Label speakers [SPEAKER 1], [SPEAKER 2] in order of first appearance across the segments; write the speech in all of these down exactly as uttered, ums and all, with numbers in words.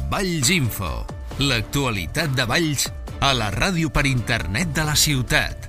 [SPEAKER 1] Valls Info, l'actualitat de Valls a la ràdio per internet de la ciutat.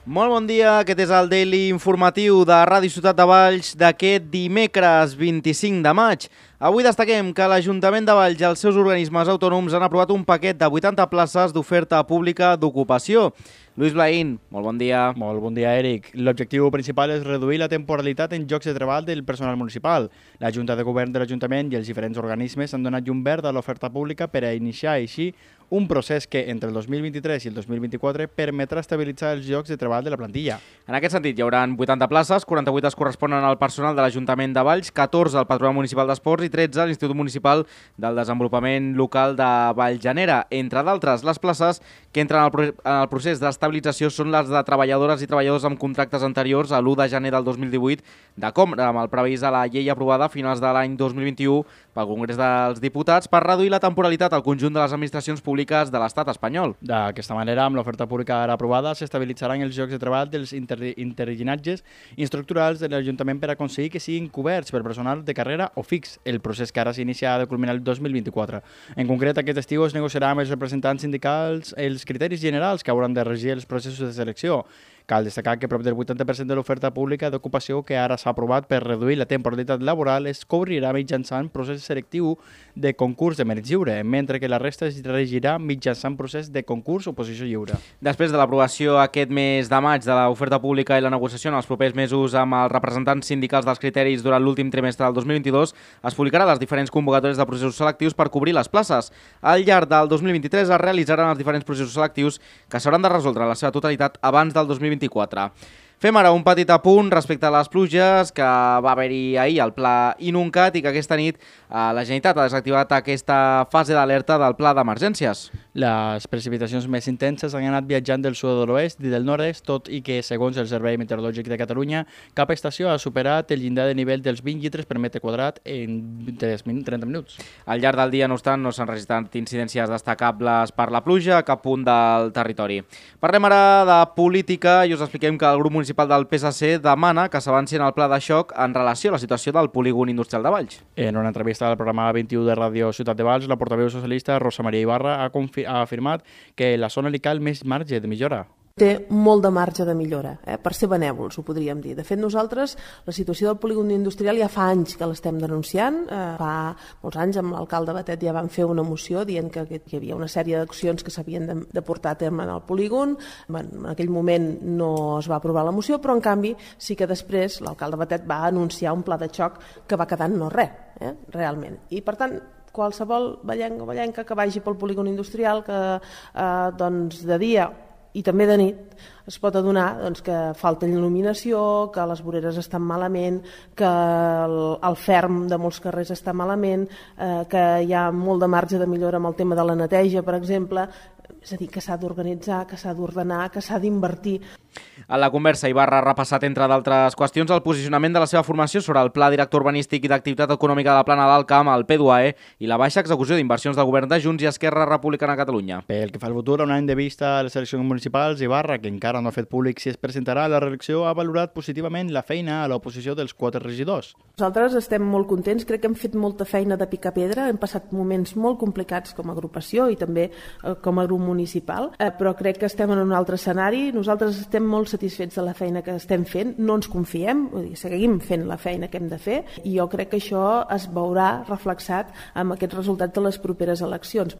[SPEAKER 2] Molt bon dia, aquest és el Daily Informatiu de Ràdio Ciutat de Valls d'aquest dimecres vint-i-cinc de maig. Avui destaquem que l'Ajuntament de Valls i els seus organismes autònoms han aprovat un paquet de vuitanta places d'oferta pública d'ocupació. Lluís Blaín, molt bon dia.
[SPEAKER 3] Molt bon dia, Eric. L'objectiu principal és reduir la temporalitat en llocs de treball del personal municipal. La Junta de Govern de l'Ajuntament i els diferents organismes han donat llum verd a l'oferta pública per a iniciar així un procés que entre el dos mil vint-i-tres i el dos mil vint-i-quatre permetrà estabilitzar els llocs de treball de la plantilla.
[SPEAKER 2] En aquest sentit, hi haurà vuitanta places, quaranta-vuit es corresponen al personal de l'Ajuntament de Valls, catorze al Patronat Municipal d'Esports i tretze a l'Institut Municipal del Desenvolupament Local de Valljanera. Entre d'altres, les places que entren en el procés d'estabilització són les de treballadores i treballadors amb contractes anteriors a l'u de gener del dos mil divuit de Compra, amb el previst a la llei aprovada a finals de l'any dos mil vint-i-u pel Congrés dels Diputats per reduir la temporalitat al conjunt de les administracions públiques de l'estat espanyol.
[SPEAKER 3] D'aquesta manera, amb l'oferta pública ara aprovada, s'estabilitzaran els llocs de treball dels inter interllinatges estructurals de l'Ajuntament per aconseguir que siguin coberts per personal de carrera o fix. El procés que ara s'inicia ha de culminar el dos mil vint-i-quatre. En concret, aquest estiu es negociarà amb els representants sindicals els criteris generals que hauran de regir els processos de selecció. Cal destacar que prop del vuitanta per cent de l'oferta pública d'ocupació que ara s'ha aprovat per reduir la temporalitat laboral es cobrirà mitjançant procés selectiu de concurs de mèrit lliure, mentre que la resta es regirà mitjançant procés de concurs o posició lliure.
[SPEAKER 2] Després de l'aprovació aquest mes de maig de l'oferta pública i la negociació en els propers mesos amb els representants sindicals dels criteris durant l'últim trimestre del dos mil vint-i-dos, es publicaran les diferents convocatòries de processos selectius per cobrir les places. Al llarg del dos mil vint-i-tres es realitzaran els diferents processos selectius que s'hauran de resoldre en la seva totalitat abans del dos mil vint-i-quatre. Fem ara un petit apunt respecte a les pluges que va haver-hi ahir al Pla Inuncat i que aquesta nit la Generalitat ha desactivat aquesta fase d'alerta del pla d'emergències.
[SPEAKER 3] Les precipitacions més intenses han anat viatjant del sud de l'oest i del nord-est, tot i que, segons el Servei Meteorològic de Catalunya, cap estació ha superat el llindar de nivell dels vint litres per metre quadrat en trenta minuts.
[SPEAKER 2] Al llarg del dia, no obstant, no s'han registrat incidències destacables per la pluja a cap punt del territori. Parlem ara de política i us expliquem que el grup municipal del P S C demana que s'avanci en el pla de xoc en relació a la situació del polígon industrial de Valls.
[SPEAKER 3] En una entrevista al programa vint-i-u de Ràdio Ciutat de Valls, la portaveu socialista Rosa Maria Ibarra ha, ha afirmat que la zona li cal més marge de millora.
[SPEAKER 4] Té molt de marge de millora, eh? Per ser benèvols, ho podríem dir. De fet, nosaltres, la situació del polígon industrial ja fa anys que l'estem denunciant. Eh, fa molts anys amb l'alcalde Batet ja van fer una moció dient que, que hi havia una sèrie d'accions que s'havien de, de portar a terme en el polígon. Bueno, en aquell moment no es va aprovar la moció, però en canvi sí que després l'alcalde Batet va anunciar un pla de xoc que va quedar en no res, eh? Realment. I per tant, qualsevol ballenc o ballenca que vagi pel polígon industrial, que eh, doncs, de dia i també de nit es pot adonar doncs, que falta il·luminació, que les voreres estan malament, que el, el ferm de molts carrers està malament, eh, que hi ha molt de marge de millora amb el tema de la neteja, per exemple. És a dir, que s'ha d'organitzar, que s'ha d'ordenar, que s'ha d'invertir.
[SPEAKER 2] A la conversa, Ibarra ha repassat, entre d'altres qüestions, el posicionament de la seva formació sobre el Pla Director Urbanístic i d'Activitat Econòmica de la Plana d'Alt Camp, el P dos E, i la baixa execució d'inversions del govern de Junts i Esquerra Republicana de Catalunya.
[SPEAKER 3] Pel que fa al futur, a un any de vista a les eleccions municipals, Ibarra, que encara no ha fet públic si es presentarà a la reelecció, ha valorat positivament la feina a l'oposició dels quatre regidors.
[SPEAKER 4] Nosaltres estem molt contents, crec que hem fet molta feina de picar pedra, hem passat moments molt complicats com a agrupació i també eh, com a grup municipal, eh, però crec que estem en un altre escenari. Nosaltres estem molt satisfets de la feina que estem fent, no ens confiem, vull dir, seguim fent la feina que hem de fer i jo crec que això es veurà reflexat amb aquests resultats de les properes eleccions.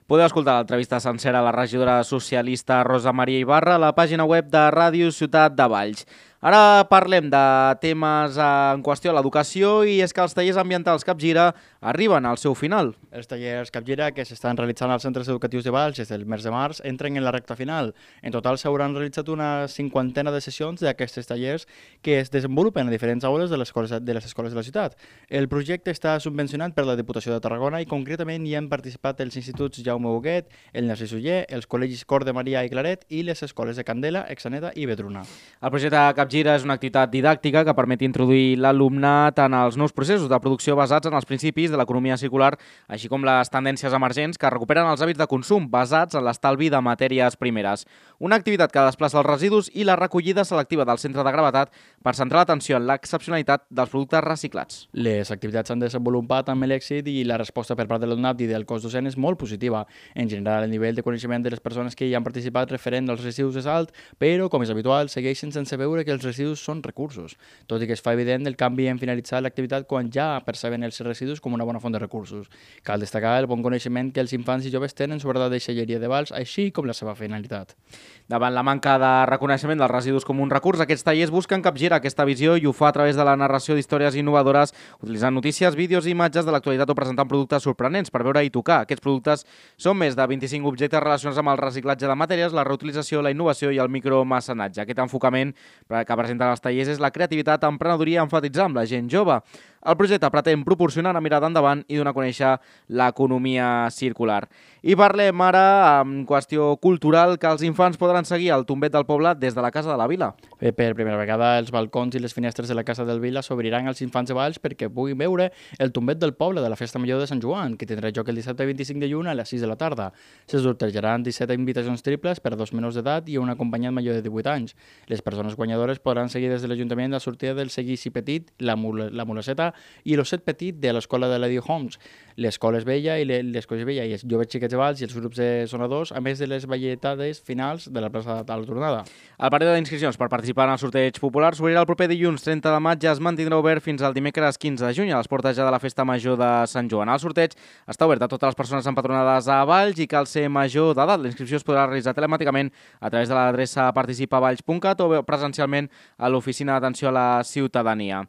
[SPEAKER 2] Podeu escoltar l'entrevista sencera a la regidora socialista Rosa Maria Ibarra a la pàgina web de Ràdio Ciutat de Valls. Ara parlem de temes en qüestió a l'educació i és que els tallers ambientals Capgira arriben al seu final.
[SPEAKER 3] Els tallers Capgira que s'estan realitzant als centres educatius de Valls des del mes de març entren en la recta final. En total s'hauran realitzat una cinquantena de sessions d'aquests tallers que es desenvolupen a diferents aules de les escoles de, les escoles de la ciutat. El projecte està subvencionat per la Diputació de Tarragona i concretament hi han participat els instituts Jaume Huguet, el Narcís Oller, els col·legis Cor de Maria i Claret i les escoles de Candela, Exaneta i Vedruna.
[SPEAKER 2] El projecte Capgira Capgira és una activitat didàctica que permet introduir l'alumnat en els nous processos de producció basats en els principis de l'economia circular, així com les tendències emergents que recuperen els hàbits de consum basats en l'estalvi de matèries primeres. Una activitat que desplaça els residus i la recollida selectiva del centre de gravetat per centrar l'atenció en l'excepcionalitat dels productes reciclats.
[SPEAKER 3] Les activitats s'han desenvolupat amb l'èxit i la resposta per part de l'alumnat i del cos docent és molt positiva. En general, el nivell de coneixement de les persones que hi han participat referent als residus és alt, però, com és habitual, segueixen sense veure que els residus són recursos, tot i que es fa evident el canvi en finalitzar l'activitat quan ja perceben els residus com una bona font de recursos. Cal destacar el bon coneixement que els infants i joves tenen sobre la deixalleria de Valls, així com la seva finalitat.
[SPEAKER 2] Davant la manca de reconeixement dels residus com un recurs, aquests tallers busquen capgirar aquesta visió i ho fa a través de la narració d'històries innovadores, utilitzant notícies, vídeos i imatges de l'actualitat o presentant productes sorprenents per veure i tocar. Aquests productes són més de vint-i-cinc objectes relacionats amb el reciclatge de matèries, la reutilització, la innovació i el micromecenatge. Aquest enfocament que presenten els tallers és la creativitat, emprenedoria, enfatitzar amb la gent jove. El projecte pretén proporcionar una mirada endavant i donar a conèixer l'economia circular. I parlem ara, en qüestió cultural, que els infants podran seguir el tombet del poble des de la Casa de la Vila.
[SPEAKER 3] Per primera vegada, els balcons i les finestres de la Casa del Vila s'obriran als infants de Valls perquè puguin veure el tombet del poble de la Festa Major de Sant Joan, que tindrà lloc el dissabte vint-i-cinc de juny a les sis de la tarda. Se sortejaran disset invitacions triples per a dos menors d'edat i un acompanyant major de divuit anys. Les persones guanyadores podran seguir des de l'Ajuntament la sortida del Seguici Petit, la, mul la Mulaceta i l'Osset Petit de l'Escola de l'Edio Homs, l'Escola és Vella i l'Escola és Vella i els joves xiquets de Valls i els grups de sonadors, a més de les balletades finals de la plaça de la tornada.
[SPEAKER 2] El període d'inscripcions per participar en el sorteig popular s'obrirà el proper dilluns trenta de maig i es mantindrà obert fins al dimecres quinze de juny a les portes ja de la Festa Major de Sant Joan. El sorteig està obert a totes les persones empadronades a Valls i cal ser major d'edat. La inscripció es podrà realitzar telemàticament a través de l'adreça participavalls punt cat o presencialment a l'Oficina d'Atenció a la Ciutadania.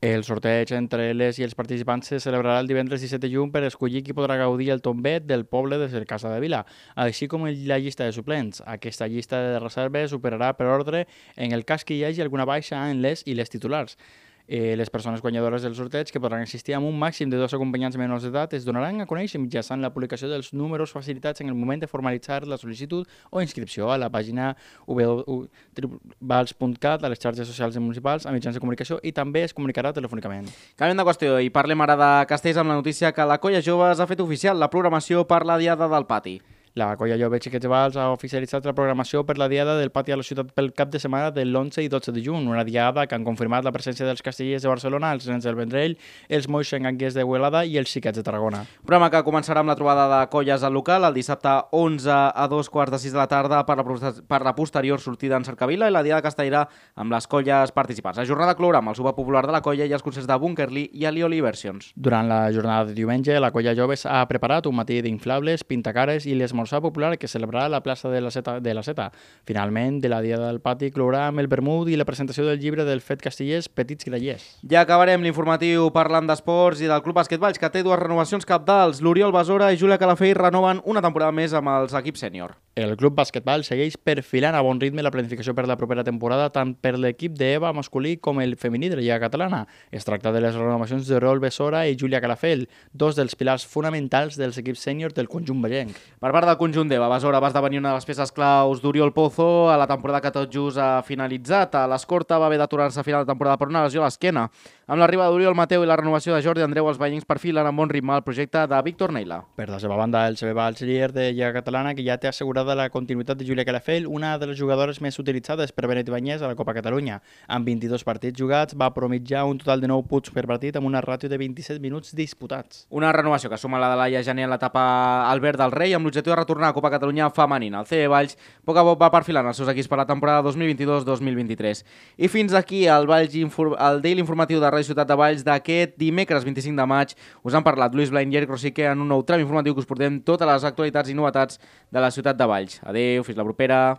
[SPEAKER 3] El sorteig entre les i els participants se celebrarà el divendres disset de juny per escollir qui podrà gaudir el tombet del poble de la Casa de Vila, així com la llista de suplents. Aquesta llista de reserves superarà per ordre en el cas que hi hagi alguna baixa en les i les titulars. Eh, les persones guanyadores del sorteig, que podran assistir amb un màxim de dos acompanyants menors d'edat, es donaran a conèixer mitjançant la publicació dels números facilitats en el moment de formalitzar la sol·licitud o inscripció a la pàgina w w w punt valls punt cat, a les xarxes socials i municipals, a mitjans de comunicació, i també es comunicarà telefònicament.
[SPEAKER 2] Canviem de qüestió i parlem ara de Castells amb la notícia que la Colla Joves ha fet oficial la programació per la Diada del Pati.
[SPEAKER 3] La Colla Jove Xiquets de Valls ha oficialitzat la programació per la Diada del Pati a la ciutat pel cap de setmana de l'onze i dotze de juny, una diada que han confirmat la presència dels castellers de Barcelona, els nens del Vendrell, els moix enganguers de Huelada i els xiquets de Tarragona.
[SPEAKER 2] Programa que començarà amb la trobada de colles al local el dissabte onze a dos quarts de sis de la tarda per la, per la posterior sortida en Cercavila i la Diada Castellera amb les colles participants. La jornada clourà amb el sopar popular de la colla i els concerts de Bunkerly i Alioli Versions.
[SPEAKER 3] Durant la jornada de diumenge, la Colla Joves ha preparat un matí d'inflables, pintacares i l'esmorzar popular que celebrarà a la plaça de la Seta. De la Seta. Finalment, de la Diada del Pati clourà amb el vermut i la presentació del llibre del Fet Castellers Petits Grallers.
[SPEAKER 2] Ja acabarem l'informatiu parlant d'esports i del Club Bàsquet Valls, que té dues renovacions cabdals. L'Oriol Besora i Júlia Calafell renoven una temporada més amb els equips sènior.
[SPEAKER 3] El Club Bàsquet Valls segueix perfilant a bon ritme la planificació per la propera temporada tant per l'equip d'Eva masculí com el femení de la Lliga Catalana. Es tracta de les renovacions d'Oriol Besora i Júlia Calafell, dos dels pilars fonamentals dels equips sènior del conjunt vallenc.
[SPEAKER 2] Per part del conjunt d'Eva, Besora va esdevenir una de les peces claus d'Oriol Pozo a la temporada que tot just ha finalitzat. A l'Escorta va haver d'aturar-se a final de temporada per una lesió a l'esquena. Amb l'arribada d'Oriol Mateu i la renovació de Jordi Andreu, els vallencs perfilen amb bon ritme el projecte de Víctor Neila.
[SPEAKER 3] Per la seva banda, el C B Valls, líder de Lliga Catalana, que ja té assegurada la continuïtat de Júlia Calafell, una de les jugadores més utilitzades per Benet Ibáñez a la Copa Catalunya. Amb vint-i-dos partits jugats, va promitjar un total de nou punts per partit amb una ràtio de vint-i-set minuts disputats.
[SPEAKER 2] Una renovació que suma la de Laia Jané en l'etapa Albert del Rei amb l'objectiu de retornar a Copa Catalunya femenina. El C B Valls poc a poc va perfilant els seus equips per la temporada dos mil vint-i-dos dos mil vint-i-tres. I fins aquí el, Valls el Daily Informatiu de Ràdio Ciutat de Valls d'aquest dimecres vint-i-cinc de maig. Us han parlat Lluís Blain i Eric Rosique en un nou tram informatiu que us portem totes les actualitats i novetats de la ciutat de Valls. Adéu, fins la propera.